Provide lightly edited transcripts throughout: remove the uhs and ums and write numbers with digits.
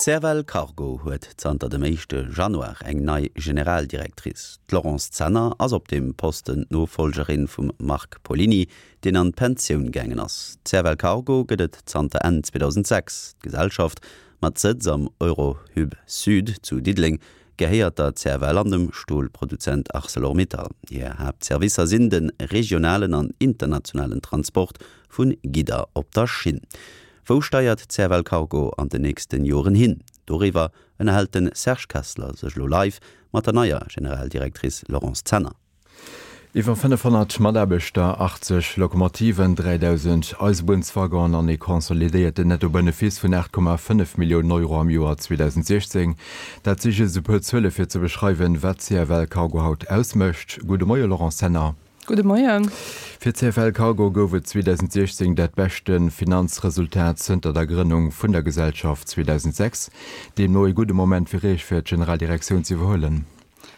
D'CFL Cargo huet zanter dem éischte Januar eng nei Generaldirectrice. D'Laurence Zenner ass op deem Posten d'Nofollgerin vum Marc Pollini, deen an d'Pensioun gaangen ass. D'CFL Cargo gëtt et zanter Enn 2006. D'Gesellschaft, mat Sëtz am Eurohub Sud zu Diddeleng, gehéiert der CFL an dem Stolproduzent Arcelor-Mittal. Hir Haaptservicer sinn de regionalen an internationalen Transport vu Gidder op der Schinn. Wou steiert d'CFL Cargo an den nächsten Joren hin? Doriwwer ënnerhält de Serge Kessler sech elo live mat der neier Generaldirectrice Laurence Zenner. Iwwer 500 Mataarbechter, 80 Lokomotiven, 3.000 Eisebunnswaggonen an ee consolidéierten Nettobenefice vun 8,5 Milliounen Euro am Joer 2016, dat si just e puer Zuele fir ze beschreiwen, wat CFL Cargo haut ausmécht. Gudde Moie Laurence Zenner. Gudde Moien. Fir CFL Cargo gouf et 2016 dat beschte Finanzresultat zënter der Grënnung vun der Gesellschaft 2006. Deemno ee gudde Moment fir Iech fir d'Generaldirektioun ze iwwerhuelen.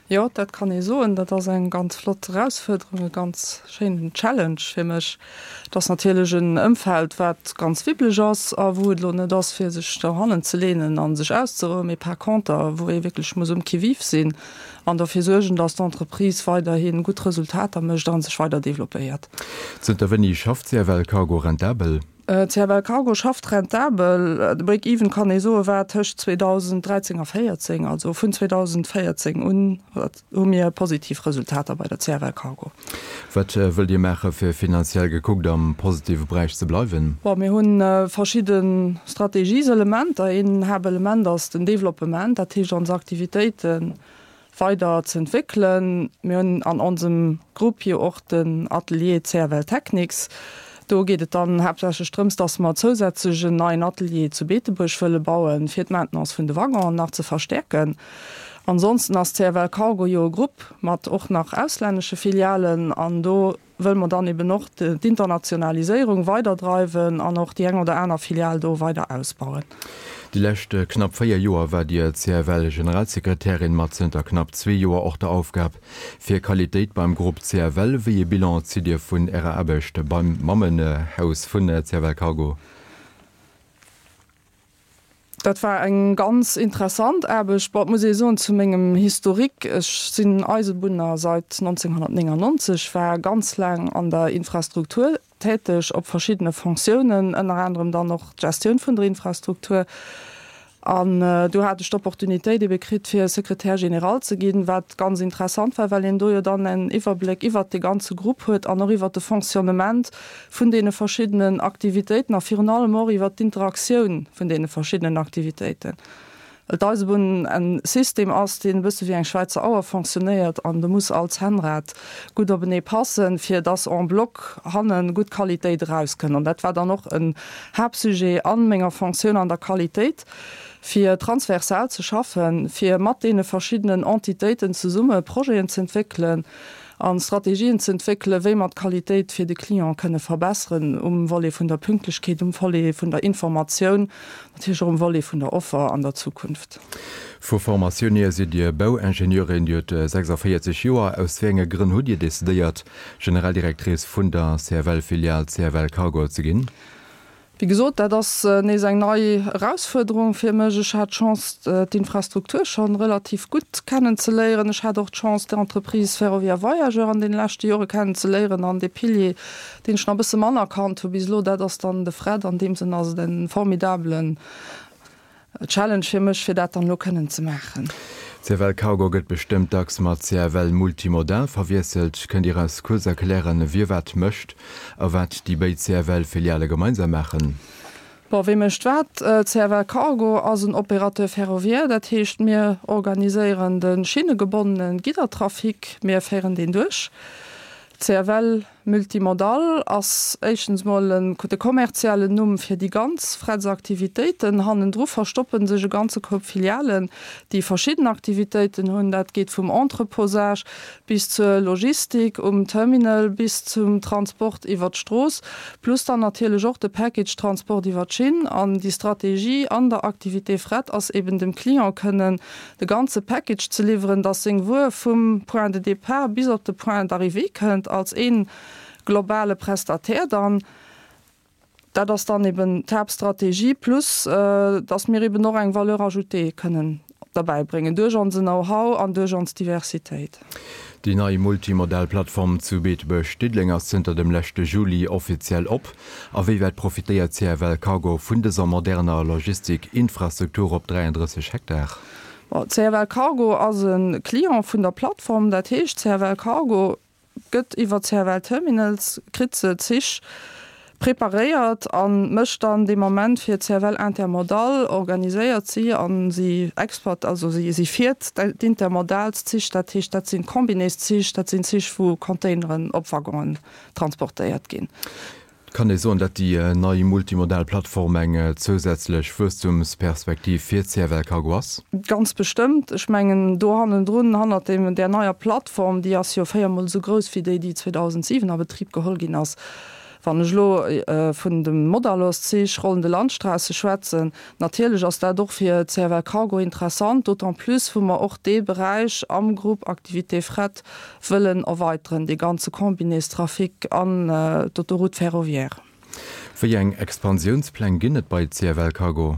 Jo, dat kann ee soen. Dat ass eng ganz flott Erausfuerderung, e ganz schéinen Challenge fir mech. Et ass natierlech en Ëmfeld, wat ganz wibbeleg ass a wou et elo net ass, fir sech dohannen ze leenen a sech auszerouen, mee par conter, wou ee wierklech muss um Qui-vive sinn an derfir suergen, dass d'Entreprise weiderhi gutt Resultater mécht a sech weider developpéiert. Zënter wéini schafft CFL Cargo rentabel? CFL Cargo schafft rentabel. De Break-even, kann ee soen, war tëscht 2013 a 2014. Also vun 2014 un hu mir positiv Resultater bei der CFL Cargo. Wat wëllt Dir maache fir finanziell gekuckt am positive Beräich ze bleiwen? Bon, mir hu verschidde Strategieselementer. Een Haaptelement ass den Developpement, dat heescht ons Aktivitéite weider z'entwéckelen. Mir hunn an onsem Grupp jo och den Atelier CFL Technics. Do geet et dann haaptsächlech drëms, dass mer zousätzlech en neien Atelier zu Beetebuerg wëlle bauen, fir d'Maintenance vun de Waggonen nach ze verstäerken. Ansonsten ass CFL Cargo jo e Grupp mat och nach auslännesche Filialen an do wëlle mer dann eben och d'Internationaliséierung weiderdreiwen an och déi eng oder aner Filial do weider ausbauen. Déi lescht knapp 4 Joer war Dir CFL-Generalsekretärin mat zënter knapp zwee Joer och der Aufgab fir Qualitéit beim Grupp CFL. Wéi ee Bilan zitt Dir vun Ärer Aarbecht beim Mammenhaus vun CFL Cargo? Dat war eng ganz interessant Aarbecht. Bon, et muss ee soen, zu mengem Historique, ech sinn Eisebunner seit 1999, war ganz laang an der Infrastruktur täteg op verschiddene Fonctiounen, ënner anerem dann och d'Gestioun vun der Infrastruktur. An do hat ech d'Opportunitéit ebe kritt, fir Secrétaire général ze ginn, wat ganz interessant war, well een do jo dann en Iwwerbléck iwwert de ganze Grupp huet an och iwwert de Fonctionnement vun deene verschiddenen Aktivitéiten a virun allem och iwwert d'Interaktioun vun deene verschiddenen Aktivitéiten. Well d'Eisebunn en System ass, deen e bësse wéi eng Schwäizer Auer fonctionnéiert an do muss all Zännrad gutt openee passen, fir dass en bloc hanne gutt Qualitéit erauskënnt. An dat war dann och en Haaptsujet a menger Fonctioun an der Qualitéit, fir transversal ze schaffen, fir mat deene verschiddenen Entitéiten zesumme Projeten z'entwéckelen, a Strategien ze entwéckelen, wéi mer d'Qualitéit fir de Client kënne verbesseren um Volet vun der Pünktlechkeet, um Volet vun der Informatioun, natierlech och um Volet vun der Offer an der Zukunft. Vu Formatioun hier sidd Dir Bauingenieurin, Dir hutt 46 Joer. Aus wéi enge Grënn hutt Dir decidéiert, Generaldirectrice vun der CFL-Filial CFL Cargo ze ginn? Wéi gesot, dat ass nees eng nei Erausfuerderung fir mech. Ech hat d'Chance, d'Infrastruktur scho relativ gutt kennen ze léieren. Ech hat och d'Chance, d'Entreprise Ferroviaire Voyageurs an deene leschte Jore kennen ze léieren. An dee Pilier, deen ech nach e bësse manner kannt hu bis elo, dat ass dann de Fret. An deem Sënn ass et e formidabelen Challenge fir mech, fir dat dann elo kënnen ze maachen. CFL Cargo gëtt bestëmmt dacks mat CFL Multimodal verwiesselt. Kënnt Dir eis kuerz erklären, wie wat mécht a wat déi béid CFL-Filiale gemeinsam maachen? Bon, wie mécht wat? CFL Cargo ass en Opérateur ferroviaire, dat heescht, mir organiséieren de schinnegebonnene Giddertrafic, mir féieren deen duerch. CFL Multimodal ass éischtens mol en de kommerziellen Numm fir déi ganz Frets-Aktivitéiten. Hannendru verstoppe sech e ganze Koup Filialen, déi verschidden Aktivitéiten hunn. Dat geet vum Entreposage bis zur Logistik um Terminal bis zum Transport iwwer d'Strooss, plus dann natierlech och de Package Transport iwwer d'Schinn. An déi Strategie an der Activité Fret ass eben dem Client kënnen de ganze Package ze liwweren, dass seng Wuer vum Point de départ bis op de Point d'arrivée kënnt, als ee globale Prestataire dann. Dat ass dann eben d'Haaptstrategie, plus dass mir eben och eng Valeur ajoutée kënnen derbäi bréngen duerch onse Know-how an duerch ons Diversitéit. Déi nei multimodal Plattform zu Beetebuerg-Diddeleng ass zënter dem leschte Juli offiziell op. A wéi wäit profitéiert CFL Cargo vun dëser moderner Logistik-Infrastruktur op 33 Hektar? Bon, CFL Cargo ass e Client vun der Plattform. Dat heescht, CFL Cargo gëtt iwwer CFL Terminals, kritt se Zich preparéiert a mécht dann dee Moment fir CFL Intermodal, organiséiert si a si exploit, also si si fiert d'Intermodalszich, dat heescht dat sinn Combinés-Zich, dat sinn Zich wou Containeren op Waggonen transportéiert ginn. Kann ee soen, datt déi nei multimodal Plattform eng zousätzlech Wuesstumsperspektiv fir CFL Cargo ass? Ganz bestëmmt. Ech mengen, do hannendrun, hannert deem, där neier Plattform, déi ass jo véiermol esou grouss wéi déi, déi 2007 a Betrib geholl ginn ass, wann ech elo vun dem Modaloszich, rollende Landstraße schwätzen, natierlech ass dat och fir CFL Cargo interessant, d'autant plus wou mer och dee Beräich am Grupp Activités Fret wëllen erweiteren, dee ganze Combinéstrafic an d'Autoroute ferroviaire. Wéi eng Expansiounspläng ginn et bei CFL Cargo?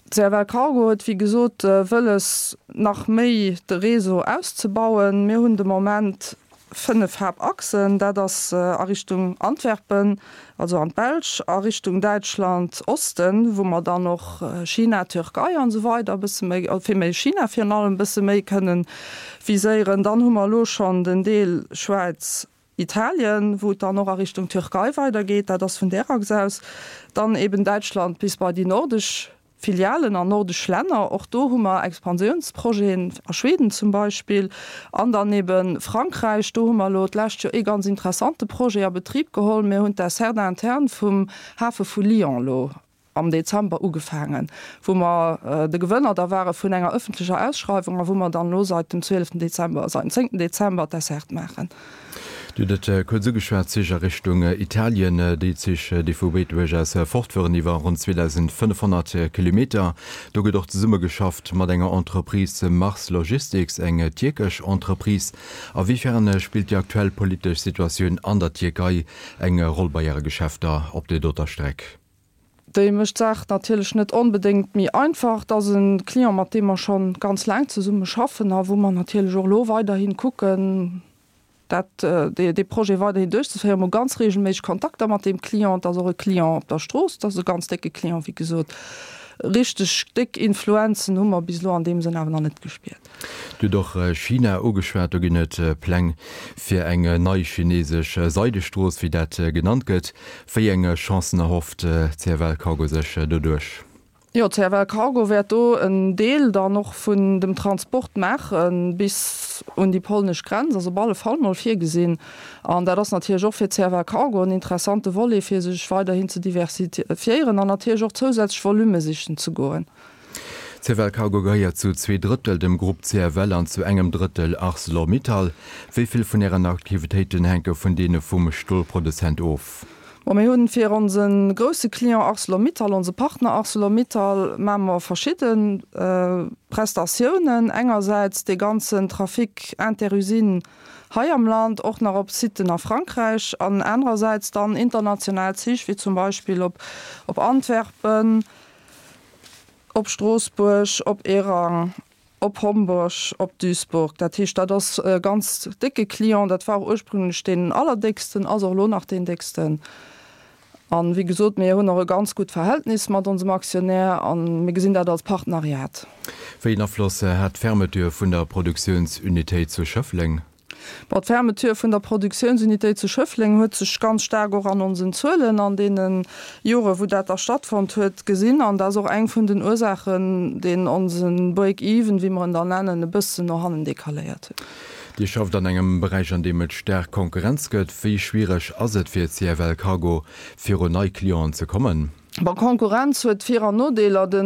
CFL Cargo huet wéi gesot wëlles nach méi de Réseau auszebauen. Mir hunn de Moment 5 Haaptachsen, dat ass a Richtung Antwerpen, also an d'Belsch, a Richtung Däitschland, Osten, wou mer dann och China, Türkei an esou weider e bësse méi, villméi China virun allem e bësse méi kënnen viséieren. Dann hu mer elo schonn den Deel Schwäiz, Italien, wou et dann och a Richtung Türkei weidergeet, dat ass vun där Achs aus. Dann eben Däitschland bis bei déi nordesch Filialen an nordesch Länner, och do hu mer Expansiounsprojeten, a Schweden zum Beispill, an dann ebe Frankräich, do hu mer elo d'lescht Joer ee ganz interessante Projet a Betrib geholl. Mir hunn d'Desserte interne vum Hafe vu Lyon elo am Dezember ugefaangen, wou mer de Gewënner da ware vun enger ëffentlecher Ausschreiwung a wou mer dann elo seit dem 12 Dezember, seit dem 10 Dezember d'Desserte maachen. Dir hutt et kuerz ugeschwat, Zich a Richtung Italien, déi Zich, déi vu Beetebuerg aus fortfueren iwwer ronn 2.500 Kilometer. Do gëtt och zesummegeschafft mat enger Entreprise, Mars Logistics, eng tierkesch Entreprise. A wéi fern spillt déi aktuell politesch Situatioun an der Tierkei eng Roll bei Äre Geschäfter op där doter Streck? Déi mécht d'Saach natierlech net onbedéngt méi einfach. Et ass e Client, mat deem mer scho ganz laang zesumme schaffen a wou mer natierlech och elo weiderhi kucken, dat, dee Projet weiderhin duerchzeféieren. Mer hu ganz reegelméisseg Kontakter mat deem Client. Et ass och e Client op der Strooss, et ass e ganz décke Client, wéi gesot. Richteg déck Influenzen hu mer bis elo an deem Sënn awer nach net gespiert. Dir hutt och China ugeschwat. Do ginn et Pläng fir eng nei chinesesch Seidestrooss, wéi dat genannt gëtt. Wéi eng Chancen erhofft CFL Cargo sech doduerch? Jo, CFL Cargo wäert do en Deel dann och vun dem Transport maache bis un déi polnesch Grenz, ass op alle Fall mol virgesinn. An dat ass natierlech och fir CFL Cargo en interessante Volet, fir sech weiderhin ze diversifiéieren an natierlech och zousätzlech Volume sichen ze goen. CFL Cargo gehéiert zu 2 Drëttel dem Grupp CFL an zu engem Drëttel Arcelor-Mittal. Wéi vill vun Ären Aktivitéiten hänke vun deene vum Stolproduzent of? Bon, mir hunn fir onse grousse Client Arcelor-Mittal, onse Partner Arcelor-Mittal, maache mer verschidde Prestatiounen. Engersäits dee ganzen Trafic interusine hei am Land, och nach op Siten a Frankräich an anerersäits dann international Zich, wéi zum Beispill op Antwerpen, Op Stroossbuerg, op Ehrang, op Homburg, op Duisburg. Dat heescht, dat ass e ganz décke Client. Dat war och ursprünglech deen allerdécksten, ass och elo nach deen décksten. A wéi gesot, mir hunn och e ganz gutt Verhältnis mat onsem Aktionär a mir gesinn dat als Partneriat. Wéi een Afloss hat d'Fermeture vun der Produktiounsunitéit zu Schëffleng? Bon, d'Fermeture vun der Produktiounsunitéit zu Schëffleng huet sech ganz staark och an onsen Zuelen an deene Jore wou dat da stattfonnt huet, gesinn. An dat ass och eng vun den Ursaachen, deen onse Break-even, wéi mer en dann nennen, e bëssen no hannen decaléiert huet. Dir schafft an engem Beräich, an deem et staark Konkurrenz gëtt. Wéi schwiereg ass et fir CFL Cargo, virun nei Clienten ze kommen? Bon, Konkurrenz huet Vir an Nodeeler. De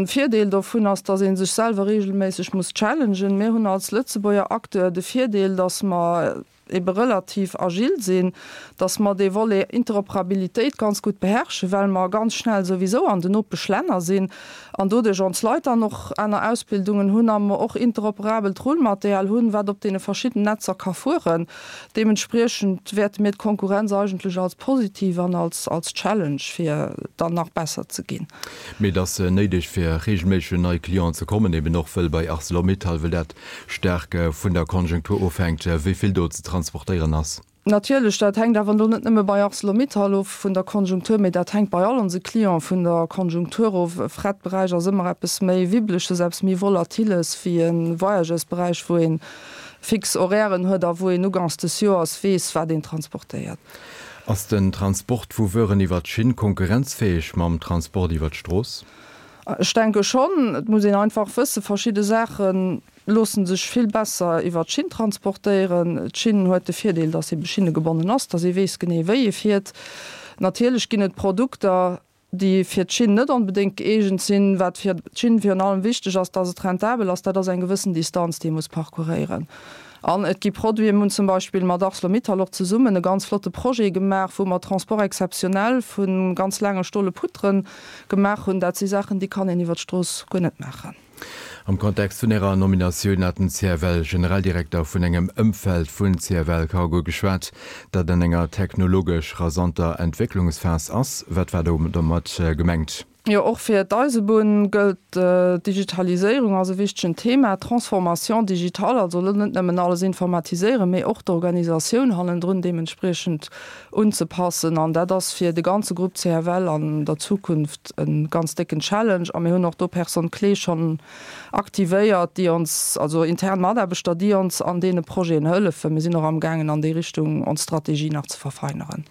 Virdeel dovun ass, dass ee sech selwer reegelméisseg muss challengen. Mir hunn als Lëtzebuerger Acteur de Virdeel, dass mer. ebe relativ agil sinn, dass mer dee Volet Interoperabilitéit ganz gutt beherrschen, well mer ganz schnell souwisou an den Nopeschlänner sinn an doduerch ons Leit dann och aner Ausbildungen hunn a mer och interoperabelt Rullmaterial hunn, wat op deene verschidden Netzer ka fueren. Deementspriechend wäerte mir d'Konkurrenz eigentlech als positiv an als als Challenge, fir dann nach besser ze ginn. Mee et ass néideg, fir reegelméisseg un nei Clienten ze kommen, eben och wëll bei Arcelor-Mittal, wëll dat staark vun der Konjunktur ofhänkt, wéi vill do ze transportéieren ass. Natierlech, dat hänkt awer elo net nëmme bei Arcelor-Mittal of vun der Konjunktur, mee dat hänkt bei all onse Clienten vun der Konjunktur of. E Fretberäich ass ëmmer eppes méi Wibbleches, eppes méi Volatiles wéi e Voyageursberäich, wou ee fix Horairen huet a wou een uganks des Joers weess, wat een transportéiert. Ass den Transport vu Wueren iwwer d'Schinn konkurrenzfäeg mam Transport iwwer d'Strooss? Ech denke schonn. Et muss een einfach wëssen, verschidde Saache loosse sech vill besser iwwer d'Schinn transportéieren. D'Schinn huet de Virdeel, dass ebe schinnegebonnen ass, dass ee weess genee wéi ee fiert. Natierlech ginn et Produkter, déi fir d'Schinn net onbedéngt gëeegent sinn. Wat fir d'Schinn virun allem wichteg ass, dass et rentabel ass, dat ass eng gewëssen Distanz, déi ee muss parcouréieren. An et gi Produiten, mir hunn zum Beispill mat Arcelor-Mittal och zesummen e ganz flotte Projet gemaach, wou mer Transport exceptionnel vu ganz laange stole Poutrë gemaach hunn. Dat si Saachen, déi kann een iwwer d'Strooss guer net maachen. Am Kontext vun Ärer Nominatioun hat den CFL-Generaldirekter vun engem Ëmfeld vun CFL Cargo geschwat, dat an enger technologesch rasanter Entwécklungsphas ass. Wat war domat gemengt? Jo, och fir d'Eisebunn gëllt, d'Digitaliséierung ass e wichtegen Thema, d'Transformation digitale, also elo net nëmmen alles informatiséieren, mee och d'Organisatioun hannendrun deementspriechend unzepassen. An dat ass fir de ganze Grupp CFL an der Zukunft e ganz décken Challenge. A mir hunn och do Personnes clés schonn aktivéiert, déi ons, also intern Mataarbechter, déi ons an deene Projeten hëllefen. Mir sinn och amgaangen an déi Richtung ons Strategie nach ze verfeineren.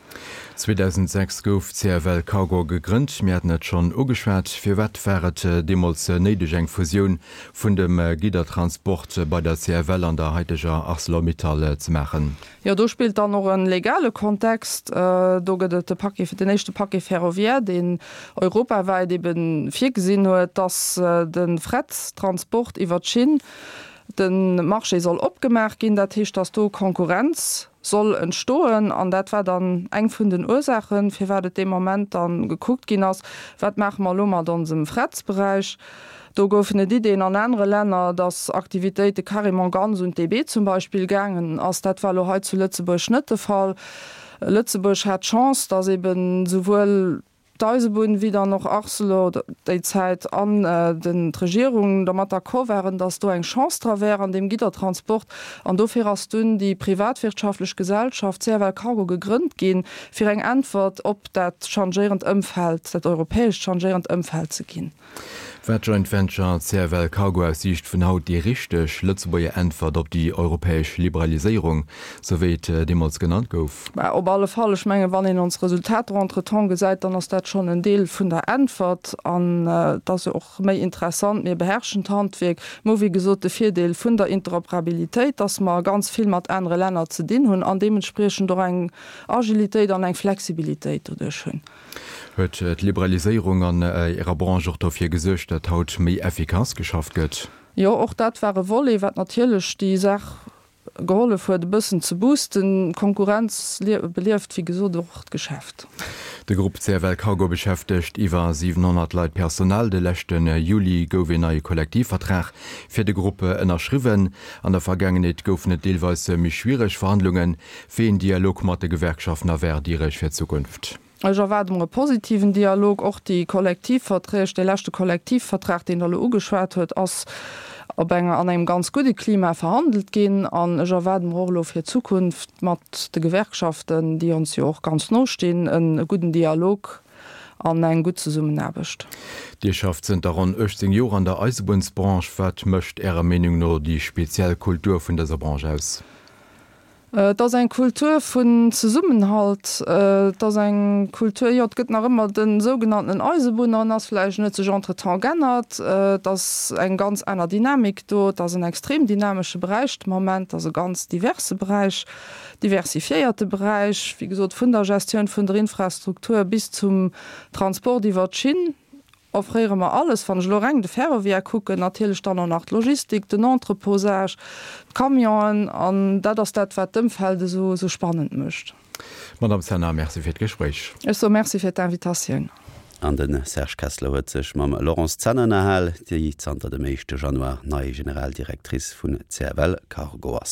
2006 gouf CFL Cargo gegrënnt. Mir haten et schonn ugeschwat. Firwat war et deemools néideg, eng Fusioun vun dem Giddertransport bei der CFL an der haiteger Arcelor-Mittal ze maachen? Jo, do spillt dann och e legale Kontext. Do gëtt et de Paquet, den éischte Paquet ferroviaire, deen europawäit ebe virgesinn huet, dass de Frettransport iwwer d'Schinn, de Marché soll opgemaach ginn. Dat heescht, dass do Konkurrenz soll entstoen. An dat war dann eng vun den Ursaachen, firwat et dee Moment da gekuckt ginn ass, Wat maache mer elo mat onsem Frettsberäich? Do goufen et Ideen an anere Länner, dass Aktivitéite carrément ganz un d'DB zum Beispill gaangen ass. Dat war elo hei zu Lëtzebuerg net de Fall. Lëtzebuerg hat d'Chance, dass eben souwuel d'Eisebunn wéi dann och Arcelor déi Zäit an den d'Regierung dermat d'accord waren, dass do eng Chance dra wär an deem Giddertransport. An dofir ass dunn déi privatwirtschaftlech Gesellschaft CFL Cargo gegrënnt ginn, fir eng Äntwert op dat changéierend Ëmfeld, dat europäescht changéierend Ëmfeld ze ginn. War d'Joint Venture CFL Cargo aus Siicht vun haut déi richteg Lëtzebuerger Äntwert op déi europäesch Liberaliséierung, sou wéi et deemools genannt gouf? Bah, op alle Fall. Ech mengen, wann een ons Resultater entretemps gesäit, dann ass dat schonn en Deel vun der Äntwert. An et ass jo och méi interessant, mir beherrschen d'Handwierk. Mir hu wéi gesot de Virdeel vun der Interoperabilitéit, dass mer ganz vill mat anere Länner ze dinn hunn an deementspriechend och eng Agilitéit an eng Flexibilitéit doduerch hunn. Huet d'Liberaliséierung an Ärer Branche och dofir gesuergt, datt haut méi effikass geschafft gëtt? Jo, och dat war e Volet, wat natierlech déi Saach gehollef huet e bëssen ze boosten. D'Konkurrenz belieft, wéi gesot, och d'Geschäft. De Grupp CFL Cargo beschäftegt iwwer 700 Leit Personal. De leschte Juli gouf een neie Kollektivvertrag fir de Grupp ënnerschriwwen. An der Vergaangenheet goufen et deelweis méi schwiereg Verhandlungen. Wéi een Dialog mat de Gewerkschaften erwaart Dir Iech fir d'Zukunft? Ech erwaarde mer e positiven Dialog. Och déi Kollektivverträg, dee leschte Kollektivvertrag, deen Der elo ugeschwat huet, ass op enger, an engem ganz gudde Klima verhandelt ginn. An ech erwaarde mer och elo fir d'Zukunft mat de Gewerkschaften, déi ons jo och ganz no stinn, e gudden Dialog an eng gutt Zesummenaarbecht. Dir schafft zënter ronn 18 Joer an der Eisebunnsbranche. Wat mécht Ärer Meenung no déi speziell Kultur vun dëser Branche aus? Et ass eng Kultur vun Zesummenhalt. Et ass eng Kultur, jo, et gëtt nach ëmmer de sougenanntenen Eisebunner, en ass vläicht, en huet sech entretemps g'ännert. Et ass eng ganz aner Dynamik do. Et ass en extrem dynamesche Beräich de Moment. Et ass e ganz diverse Beräich, diversifiéierte Beräich, wéi gesot, vun der Gestioun vun der Infrastruktur bis zum Transport iwwer d'Schinn. Offréiere mer alles, wann ech elo reng de Ferroviaire kucken, natierlech dann och nach d'Logistik, den Entreposage, d'Camionen an dat ass dat, wat d'Ëmfeld esou esou spannend mécht. Madame Zenner, Merci fir d'Gespréich. Ech soe Merci fir d'Invitatioun. An de Serge Kessler huet sech mam Laurence Zenner ënnerhal, déi zanter dem éischte Januar nei Generaldirectrice vun CFL Cargo ass.